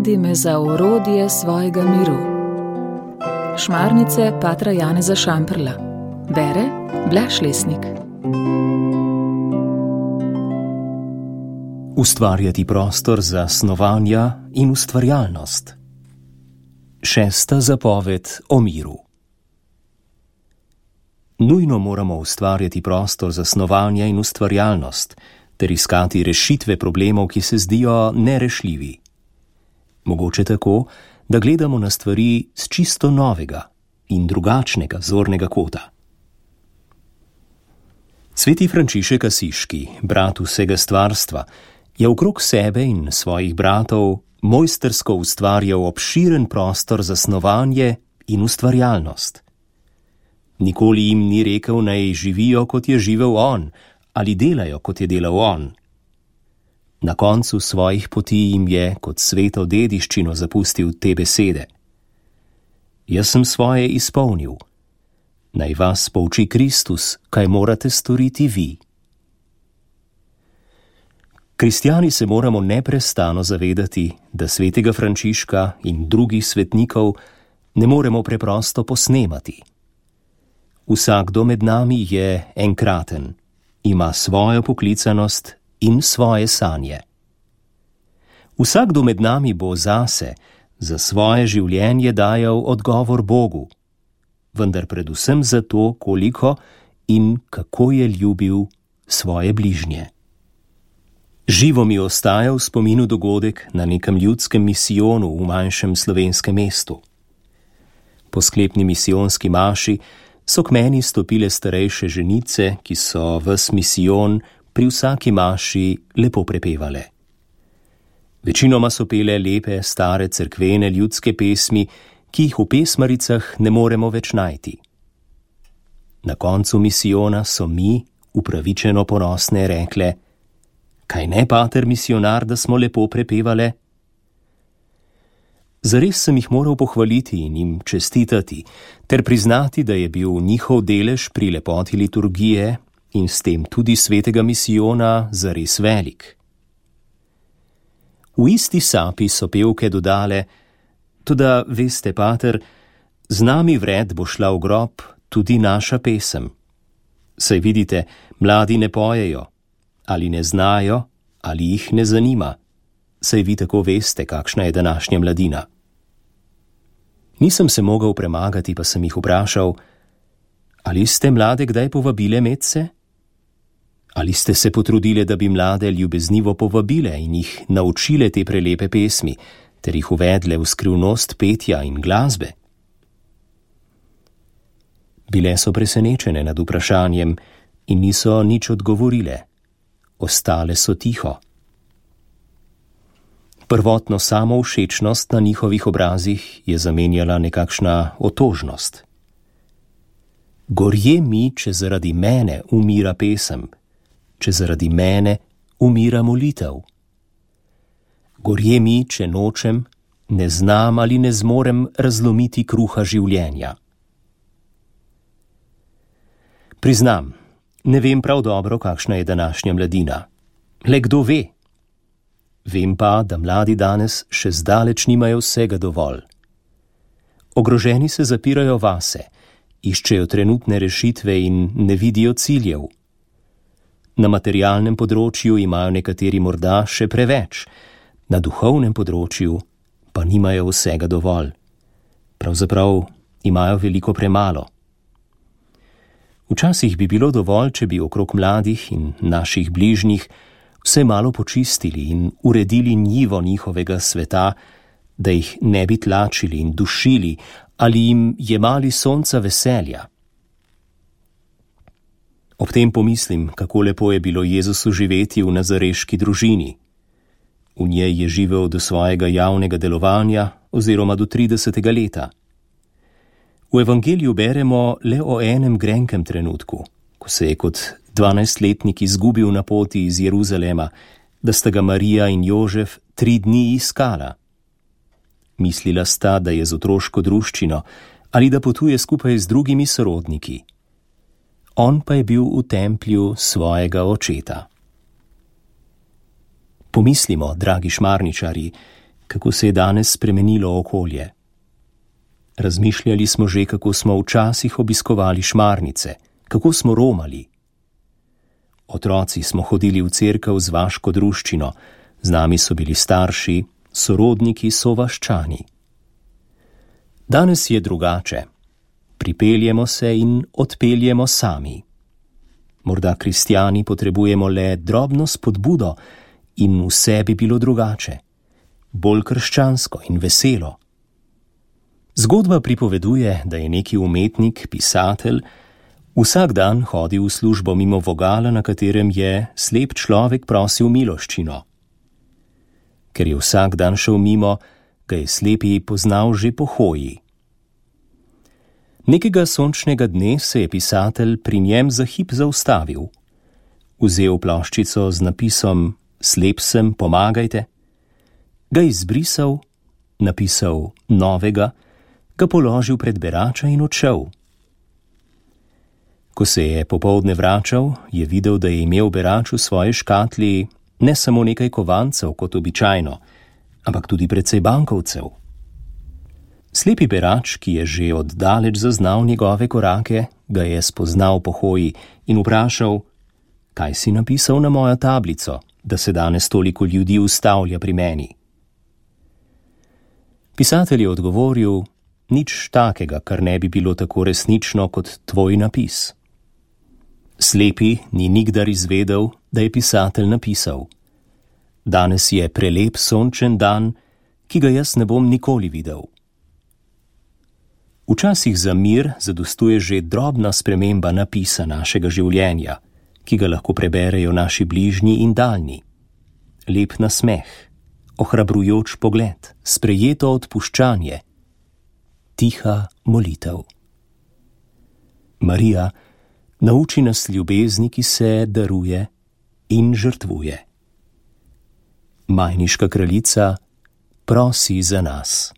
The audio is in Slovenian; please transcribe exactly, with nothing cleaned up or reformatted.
Navedi me za orodje svojega miru. Šmarnice patra Janeza Šamprla. Bere Blaž Lesnik. Ustvarjati prostor za snovanja in ustvarjalnost. Šesta zapoved o miru. Nujno moramo ustvarjati prostor za snovanja in ustvarjalnost, ter iskati rešitve problemov, ki se zdijo nerešljivi. Mogoče tako, da gledamo na stvari z čisto novega in drugačnega zornega kota. Sveti Frančišek Asiški, brat vsega stvarstva, je okrog sebe in svojih bratov mojstrsko ustvarjal obširen prostor za snovanje in ustvarjalnost. Nikoli jim ni rekel, naj živijo, kot je živel on, ali delajo, kot je delal on. Na koncu svojih poti jim je kot sveto dediščino zapustil te besede. Jaz sem svoje izpolnil. Naj vas pouči Kristus, kaj morate storiti vi. Kristjani se moramo neprestano zavedati, da svetega Frančiška in drugih svetnikov ne moremo preprosto posnemati. Vsakdo med nami je enkraten, ima svojo poklicanost in svoje sanje. Vsakdo med nami bo zase, za svoje življenje dajal odgovor Bogu, vendar predvsem za to, koliko in kako je ljubil svoje bližnje. Živo mi ostaja v spominu dogodek na nekem ljudskem misijonu v manjšem slovenskem mestu. Po sklepni misijonski maši so k meni stopile starejše ženice, ki so ves misijon pri vsaki maši lepo prepevale. Večinoma so pele lepe, stare cerkvene ljudske pesmi, ki jih v pesmaricah ne moremo več najti. Na koncu misijona so mi, upravičeno ponosne, rekle: kaj ne, pater misionar, da smo lepo prepevale? Zares sem jih moral pohvaliti in jim čestitati, ter priznati, da je bil njihov delež pri lepoti liturgije in s tem tudi svetega misijona zares velik. V isti sapi so pevke dodale: toda veste, pater, z nami vred bo šla v grob tudi naša pesem. Saj vidite, mladi ne pojejo, ali ne znajo, ali jih ne zanima. Saj vi tako veste, kakšna je današnja mladina. Nisem se mogel premagati, pa sem jih vprašal: ali ste mlade kdaj povabile medse? Ali ste se potrudile, da bi mlade ljubeznivo povabile in jih naučile te prelepe pesmi, ter jih uvedle v skrivnost petja in glasbe? Bile so presenečene nad vprašanjem in niso nič odgovorile. Ostale so tiho. Prvotno samovšečnost na njihovih obrazih je zamenjala nekakšna otožnost. Gorje mi, če zaradi mene umira pesem, če zaradi mene umira molitev. Gorje mi, če nočem, ne znam ali ne zmorem razlomiti kruha življenja. Priznam, ne vem prav dobro, kakšna je današnja mladina. Le kdo ve? Vem pa, da mladi danes še zdaleč nimajo vsega dovolj. Ogroženi se zapirajo vase, iščejo trenutne rešitve in ne vidijo ciljev. Na materialnem področju imajo nekateri morda še preveč, na duhovnem področju pa nimajo vsega dovolj. Pravzaprav imajo veliko premalo. Včasih bi bilo dovolj, če bi okrog mladih in naših bližnjih vse malo počistili in uredili njivo njihovega sveta, da jih ne bi tlačili in dušili ali jim jemali sonca veselja. Ob tem pomislim, kako lepo je bilo Jezusu živeti v nazareški družini. V njej je živel do svojega javnega delovanja oziroma do tridesetega leta. V evangeliju beremo le o enem grenkem trenutku, ko se je kot dvanajstletnik izgubil na poti iz Jeruzalema, da sta ga Marija in Jožef tri dni iskala. Mislila sta, da je z otroško druščino ali da potuje skupaj z drugimi sorodniki. On pa je bil v templju svojega očeta. Pomislimo, dragi šmarničari, kako se je danes spremenilo okolje. Razmišljali smo že, kako smo včasih obiskovali šmarnice, kako smo romali. Otroci smo hodili v cerkev z vaško druščino, z nami so bili starši, sorodniki so vaščani. Danes je drugače. Pripeljemo se in odpeljemo sami. Morda kristjani potrebujemo le drobno spodbudo in vse bi bilo drugače, bolj krščansko in veselo. Zgodba pripoveduje, da je neki umetnik, pisatelj, vsak dan hodil v službo mimo vogala, na katerem je slep človek prosil miloščino. Ker je vsak dan šel mimo, ga je slepi poznal že po hoji. Nekega sončnega dne se je pisatelj pri njem za hip zaustavil. Vzel ploščico z napisom Slep sem, pomagajte, ga izbrisal, napisal novega, ga položil pred berača in odšel. Ko se je popoldne vračal, je videl, da je imel berač v svoji škatli ne samo nekaj kovancev kot običajno, ampak tudi precej bankovcev. Slepi berač, ki je že od daleč zaznal njegove korake, ga je spoznal po hoji in vprašal, kaj si napisal na mojo tablico, da se danes toliko ljudi ustavlja pri meni. Pisatelj je odgovoril, nič takega, kar ne bi bilo tako resnično kot tvoj napis. Slepi ni nikdar izvedel, da je pisatelj napisal, danes je prelep sončen dan, ki ga jaz ne bom nikoli videl. Včasih za mir zadostuje že drobna sprememba napisa našega življenja, ki ga lahko preberejo naši bližnji in daljni. Lep nasmeh, ohrabrujoč pogled, sprejeto odpuščanje, tiha molitev. Marija, nauči nas ljubezni, ki se daruje in žrtvuje. Majniška kraljica, prosi za nas.